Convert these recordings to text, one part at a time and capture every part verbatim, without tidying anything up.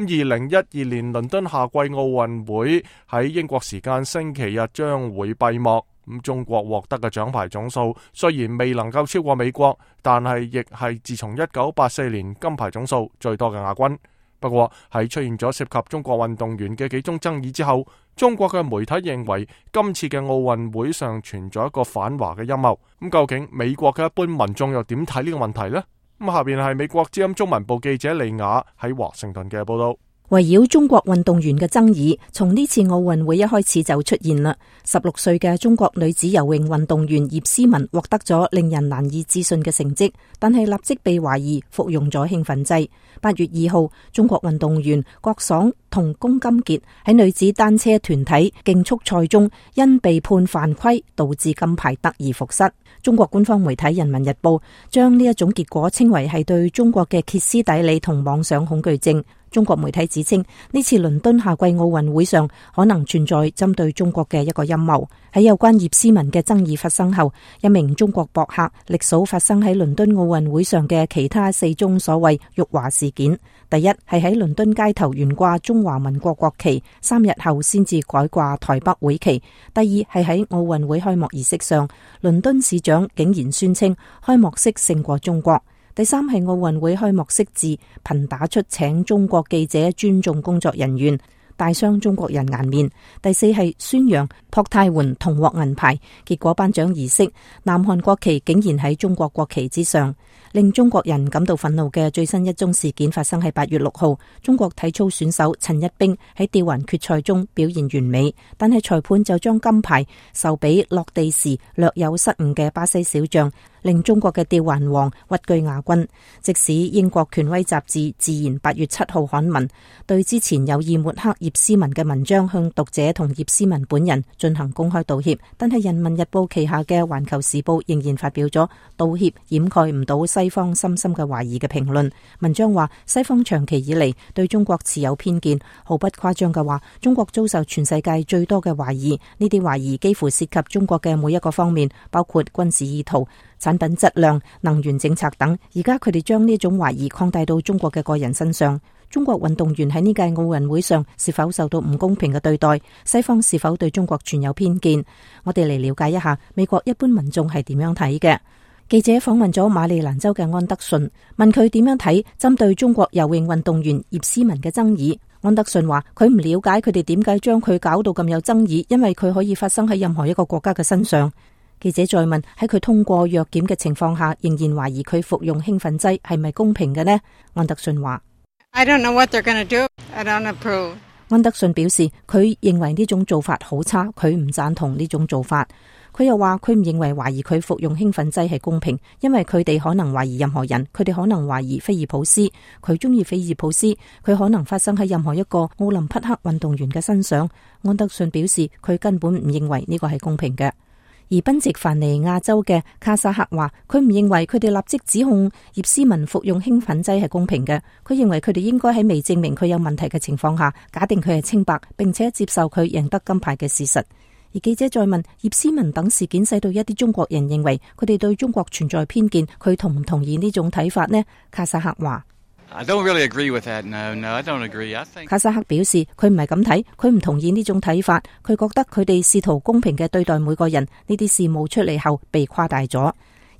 二零一二年倫敦夏季奧運會喺英國時間星期日將會閉幕。咁中國獲得嘅獎牌總數雖然未能夠超過美國，但係亦係自從一九八四年金牌總數最多嘅亞軍。不過喺出現咗涉及中國運動員嘅幾宗爭議之後，中國嘅媒體認為今次嘅奧運會上存在一個反華嘅陰謀。咁究竟美國嘅一般民眾又點睇呢個問題呢？咁下邊係美國之音中文部記者李雅喺華盛頓嘅報道。圍繞中國運動員嘅爭議，從呢次奧運會一開始就出現啦。十六歲嘅中國女子游泳運動員葉詩文獲得咗令人難以置信嘅成績，但係立即被懷疑服用咗興奮劑。八月二號，中國運動員郭爽同龔金傑喺女子單車團體競速賽中，因被判犯規，導致金牌得而復失。中國官方媒體《人民日報》將呢一種結果稱為係對中國嘅歇斯底里同妄想恐懼症。中國媒體指稱呢次倫敦夏季奧運會上可能存在針對中國嘅一個陰謀。喺有關葉詩文嘅爭議發生後，一名中國博客歷數發生喺倫敦奧運會上嘅其他四宗所謂辱華事件。第一係喺倫敦街頭懸掛中華民國國旗，三日後先至改掛台北會旗。第二係喺奧運會開幕儀式上，倫敦市長竟然宣稱開幕式勝過中國。第三係奧運會開幕式字頻打出請中國記者尊重工作人員，大傷中國人顏面。第四係宣揚朴泰桓同獲銀牌，結果頒獎儀式南韓國旗竟然喺中國國旗之上。令中國人感到憤怒嘅最新一宗事件發生喺八月六號，中國體操選手陳一冰喺吊環決賽中表現完美，但係裁判就將金牌授俾落地時略有失誤嘅巴西小將，令中國嘅吊環王屈居亞軍。即使英國權威雜誌《自然》八月七號刊文，對之前有意抹黑葉詩文嘅文章向讀者同葉詩文本人進行公開道歉，但係《人民日報》旗下嘅《環球時報》仍然發表咗道歉掩蓋唔到西方深深嘅懷疑嘅評論。文章話，西方長期以嚟對中國持有偏見，毫不誇張嘅話，中國遭受全世界最多嘅懷疑，呢啲懷疑幾乎涉及中國嘅每一個方面，包括軍事意圖、產品質量、能源政策等。而家佢哋將呢種懷疑擴大到中國嘅個人身上。中國運動員喺呢屆奧運會上是否受到唔公平嘅對待？西方是否對中國存有偏見？我哋嚟了解一下美國一般民眾係點樣睇嘅。記者訪問咗馬里蘭州嘅安德遜，問佢點樣睇針對中國游泳運動員葉詩文嘅爭議。安德遜話佢唔了解佢哋點解將佢搞到咁有爭議，因為佢可以發生喺任何一個國家嘅身上。記者再問，喺佢通過藥檢嘅情況下，仍然懷疑佢服用興奮劑係咪公平嘅呢？安德遜話 I don't know what they're going to do. I don't approve. 安德遜表示佢認為呢種做法好差，佢唔贊同呢種做法。佢又話佢唔認為懷疑佢服用興奮劑係公平，因為佢哋可能懷疑任何人，佢哋可能懷疑菲爾普斯，佢中意菲爾普斯，佢可能發生喺任何一個奧林匹克運動員嘅身上。安德遜表示佢根本唔認為呢個係公平嘅。而賓夕凡尼亞州嘅卡薩克話佢唔認為佢哋立即指控葉詩文服用興奮劑係公平嘅，佢認為佢哋應該喺未證明佢有問題嘅情況下，假定佢係清白，並且接受佢贏得金牌嘅事實。而記者再問葉詩文等事件使到一啲中國人認為佢哋對中國存在偏見，佢同唔同意呢種睇法呢？卡薩克話I don't really agree with that. No, no, I don't agree. I think 卡薩克表示佢唔係咁睇，佢唔同意呢種睇法，佢覺得佢哋試圖公平嘅對待每個人，呢啲事務出嚟後被誇大咗。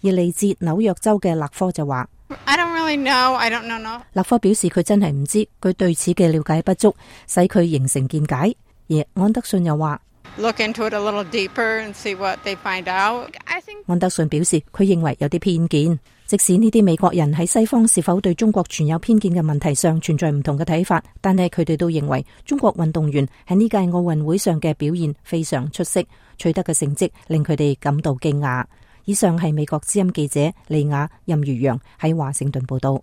而嚟自紐約州嘅勒科就話 I don't really know. I don't know. No. 勒科表示佢真係唔知，佢對此嘅了解不足，使佢形成見解。而安德遜又話Look into it a little deeper and see what they find out. I think 安德遜表示佢認為有啲偏見，即使呢啲美國人喺西方是否對中國存有偏見嘅問題上存在唔同嘅睇法，但係佢哋都認為中國運動員喺呢屆奧運會上嘅表現非常出色，取得嘅成績令佢哋感到驚訝。以上係美國之音記者李雅任如陽喺華盛頓報道。